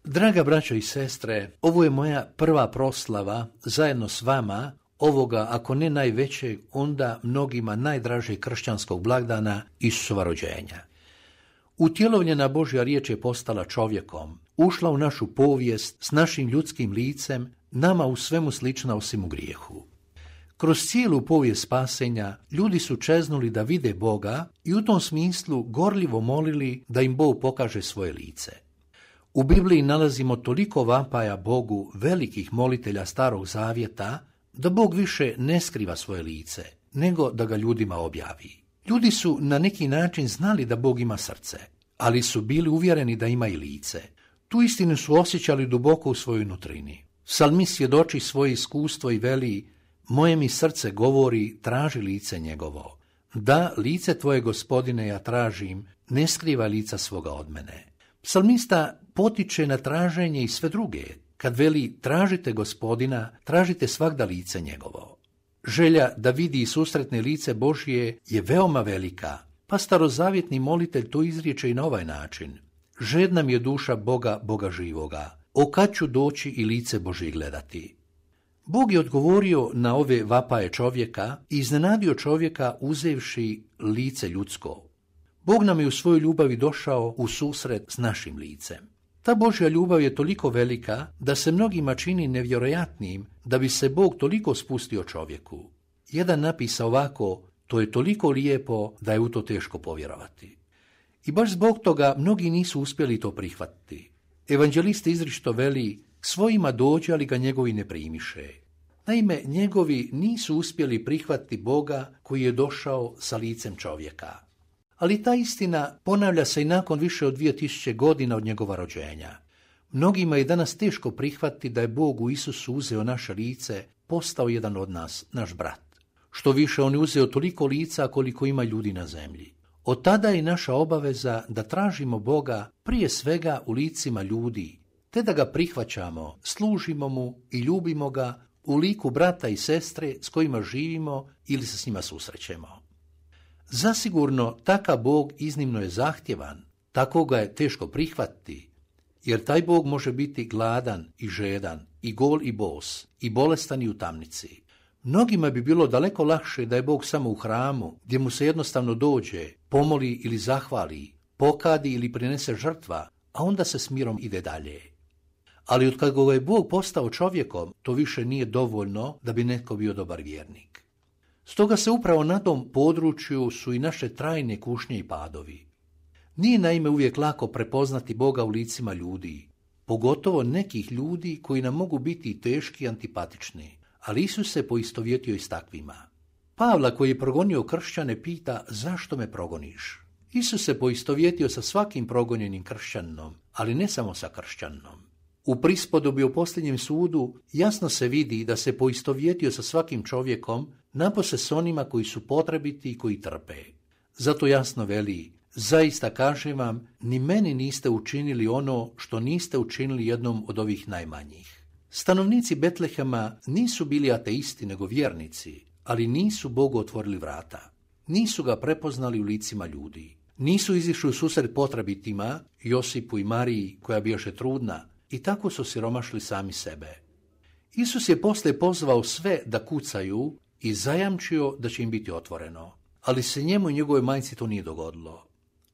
Draga braćo i sestre, ovo je moja prva proslava zajedno s vama ovoga, ako ne najvećeg, onda mnogima najdražeg kršćanskog blagdana Isusova rođenja. Utjelovljena Božja riječ je postala čovjekom, ušla u našu povijest s našim ljudskim licem, nama u svemu slična osim u grijehu. Kroz cijelu povijest spasenja ljudi su čeznuli da vide Boga i u tom smislu gorljivo molili da im Bog pokaže svoje lice. U Bibliji nalazimo toliko vapaja Bogu velikih molitelja Starog Zavjeta da Bog više ne skriva svoje lice, nego da ga ljudima objavi. Ljudi su na neki način znali da Bog ima srce, ali su bili uvjereni da ima i lice. Tu istinu su osjećali duboko u svojoj nutrini. Psalmist svjedoči svoje iskustvo i veli: moje mi srce govori, traži lice njegovo. Da, lice tvoje, Gospodine, ja tražim, ne skriva lica svoga od mene. Psalmista potiče na traženje i sve druge. Kad veli tražite Gospodina, tražite svagda lice njegovo. Želja da vidi i susretne lice Božje je veoma velika, pa starozavjetni molitelj to izriječe i na ovaj način: žedna mi je duša Boga, Boga živoga, o kad ću doći i lice Božje gledati. Bog je odgovorio na ove vapaje čovjeka i iznenadio čovjeka uzevši lice ljudsko. Bog nam je u svojoj ljubavi došao u susret s našim licem. Ta Božja ljubav je toliko velika da se mnogima čini nevjerojatnim da bi se Bog toliko spustio čovjeku. Jedan napisa ovako: to je toliko lijepo da je u to teško povjerovati. I baš zbog toga mnogi nisu uspjeli to prihvatiti. Evanđelist izričito veli: svojima dođe, ali ga njegovi ne primiše. Naime, njegovi nisu uspjeli prihvatiti Boga koji je došao sa licem čovjeka. Ali ta istina ponavlja se i nakon više od 2000 godina od njegova rođenja. Mnogima je danas teško prihvatiti da je Bog u Isusu uzeo naše lice, postao jedan od nas, naš brat. Što više, on je uzeo toliko lica koliko ima ljudi na zemlji. Od tada je naša obaveza da tražimo Boga prije svega u licima ljudi, te da ga prihvaćamo, služimo mu i ljubimo ga u liku brata i sestre s kojima živimo ili se s njima susrećemo. Zasigurno, takav Bog iznimno je zahtjevan, tako ga je teško prihvatiti, jer taj Bog može biti gladan i žedan, i gol i bos, i bolestan i u tamnici. Mnogima bi bilo daleko lakše da je Bog samo u hramu, gdje mu se jednostavno dođe, pomoli ili zahvali, pokadi ili prinese žrtva, a onda se s mirom ide dalje. Ali od kada je Bog postao čovjekom, to više nije dovoljno da bi netko bio dobar vjernik. Stoga se upravo na tom području su i naše trajne kušnje i padovi. Nije naime uvijek lako prepoznati Boga u licima ljudi, pogotovo nekih ljudi koji nam mogu biti teški i antipatični, ali Isus se poistovjetio i s takvima. Pavla, koji je progonio kršćane, pita: zašto me progoniš? Isus se poistovjetio sa svakim progonjenim kršćaninom, ali ne samo sa kršćaninom. U prispodobi o posljednjem sudu jasno se vidi da se poistovjetio sa svakim čovjekom, napose s onima koji su potrebiti i koji trpe. Zato jasno veli: zaista kažem vam, ni meni niste učinili ono što niste učinili jednom od ovih najmanjih. Stanovnici Betlehema nisu bili ateisti nego vjernici, ali nisu Bogu otvorili vrata. Nisu ga prepoznali u licima ljudi. Nisu izišli u susret potrebitima, Josipu i Mariji koja bijaše trudna, i tako su siromašili sami sebe. Isus je poslije pozvao sve da kucaju i zajamčio da će im biti otvoreno, ali se njemu i njegovoj majci to nije dogodilo.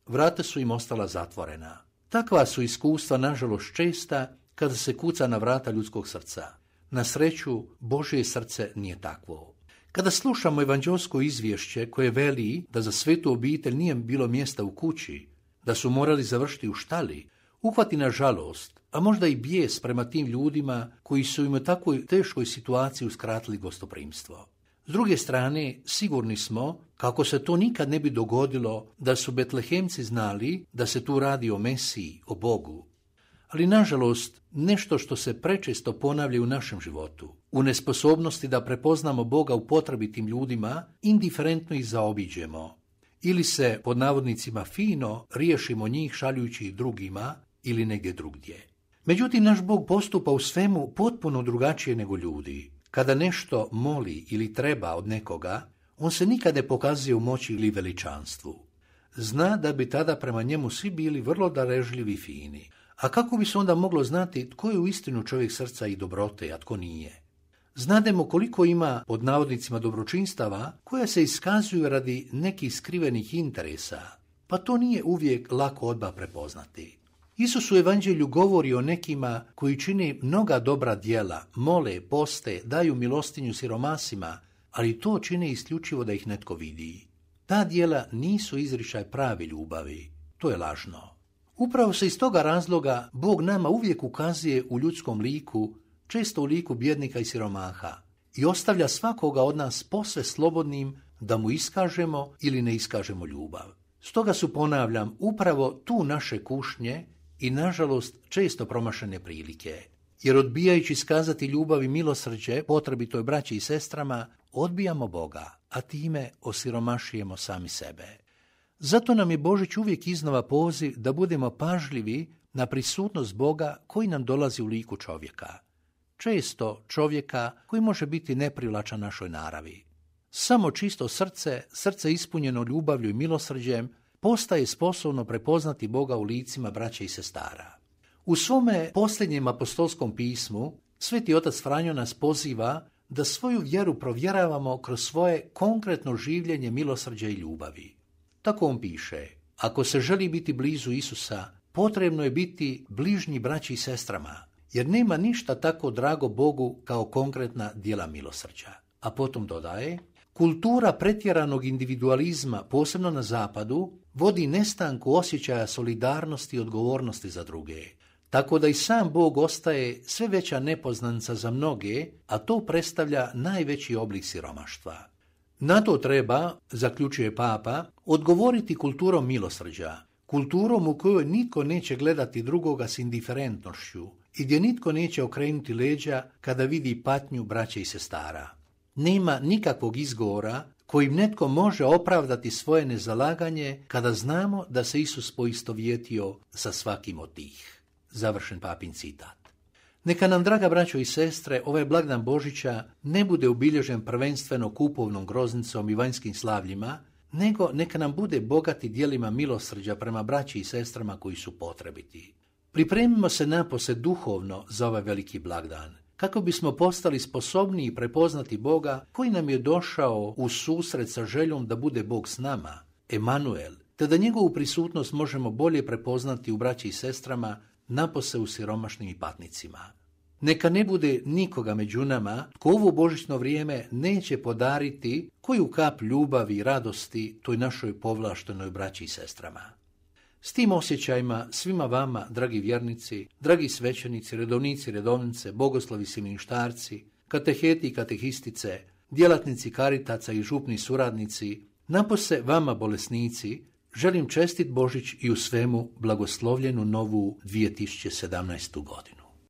Vrata su im ostala zatvorena. Takva su iskustva nažalost česta kada se kuca na vrata ljudskog srca. Na sreću, Božje srce nije takvo. Kada slušamo evanđelsko izvješće koje veli da za svetu obitelj nije bilo mjesta u kući, da su morali završiti u štali, uhvati na žalost, a možda i bijes prema tim ljudima koji su im u takvoj teškoj situaciji uskratili gostoprimstvo. S druge strane, sigurni smo kako se to nikad ne bi dogodilo da su Betlehemci znali da se tu radi o Mesiji, o Bogu. Ali nažalost, nešto što se prečesto ponavlja u našem životu, u nesposobnosti da prepoznamo Boga u potrebitim ljudima, indiferentno ih zaobiđemo. Ili se, pod navodnicima, fino riješimo njih šaljujući ih drugima ili negdje drugdje. Međutim, naš Bog postupa u svemu potpuno drugačije nego ljudi. Kada nešto moli ili treba od nekoga, on se nikad ne pokazuje u moći ili veličanstvu. Zna da bi tada prema njemu svi bili vrlo darežljivi i fini, A kako bi se onda moglo znati tko je uistinu čovjek srca i dobrote, a tko nije? Znademo koliko ima pod navodnicima dobročinstava koja se iskazuju radi nekih skrivenih interesa, pa to nije uvijek lako odmah prepoznati. Isus u evanđelju govori o nekima koji čine mnoga dobra djela, mole, poste, daju milostinju siromasima, ali to čine isključivo da ih netko vidi. Ta djela nisu izričaj prave ljubavi, to je lažno. Upravo se iz toga razloga Bog nama uvijek ukazuje u ljudskom liku, često u liku bjednika i siromaha, i ostavlja svakoga od nas posve slobodnim da mu iskažemo ili ne iskažemo ljubav. Stoga su, ponavljam, upravo tu naše kušnje i, nažalost, često promašene prilike. Jer odbijajući iskazati ljubav i milosrđe potrebitoj braći i sestrama, odbijamo Boga, a time osiromašujemo sami sebe. Zato nam je Božić uvijek iznova poziv da budemo pažljivi na prisutnost Boga koji nam dolazi u liku čovjeka. Često čovjeka koji može biti neprivlačan našoj naravi. Samo čisto srce ispunjeno ljubavlju i milosrđem, postaje sposobno prepoznati Boga u licima braće i sestara. U svome posljednjem apostolskom pismu Sveti otac Franjo nas poziva da svoju vjeru provjeravamo kroz svoje konkretno življenje milosrđa i ljubavi. Tako on piše: ako se želi biti blizu Isusa, potrebno je biti bližnji braći i sestrama, jer nema ništa tako drago Bogu kao konkretna djela milosrđa. A potom dodaje: kultura pretjeranog individualizma, posebno na zapadu, vodi nestanku osjećaja solidarnosti i odgovornosti za druge, tako da i sam Bog ostaje sve veća nepoznanica za mnoge, a to predstavlja najveći oblik siromaštva. Na to treba, zaključuje Papa, odgovoriti kulturom milosrđa, kulturom u kojoj nitko neće gledati drugoga s indiferentnošću i gdje nitko neće okrenuti leđa kada vidi patnju braće i sestara. Nema nikakvog izgovora kojim netko može opravdati svoje nezalaganje kada znamo da se Isus poistovjetio sa svakim od tih. Završen Papin citat. Neka nam, draga braćo i sestre, ovaj blagdan Božića ne bude obilježen prvenstveno kupovnom groznicom i vanjskim slavljima, nego neka nam bude bogati djelima milosrđa prema braći i sestrama koji su potrebiti. Pripremimo se napose duhovno za ovaj veliki blagdan, kako bismo postali sposobniji prepoznati Boga koji nam je došao u susret sa željom da bude Bog s nama, Emanuel, te da njegovu prisutnost možemo bolje prepoznati u braći i sestrama, napose u siromašnim i patnicima. Neka ne bude nikoga među nama tko ovo božićno vrijeme neće podariti koju kap ljubavi i radosti toj našoj povlaštenoj braći i sestrama. S tim osjećajima svima vama, dragi vjernici, dragi svećenici, redovnici, redovnice, bogoslovi, siministarci, kateheti i katehistice, djelatnici Karitaca i župni suradnici, napose vama bolesnici, želim čestit Božić i u svemu blagoslovljenu novu 2017. godinu.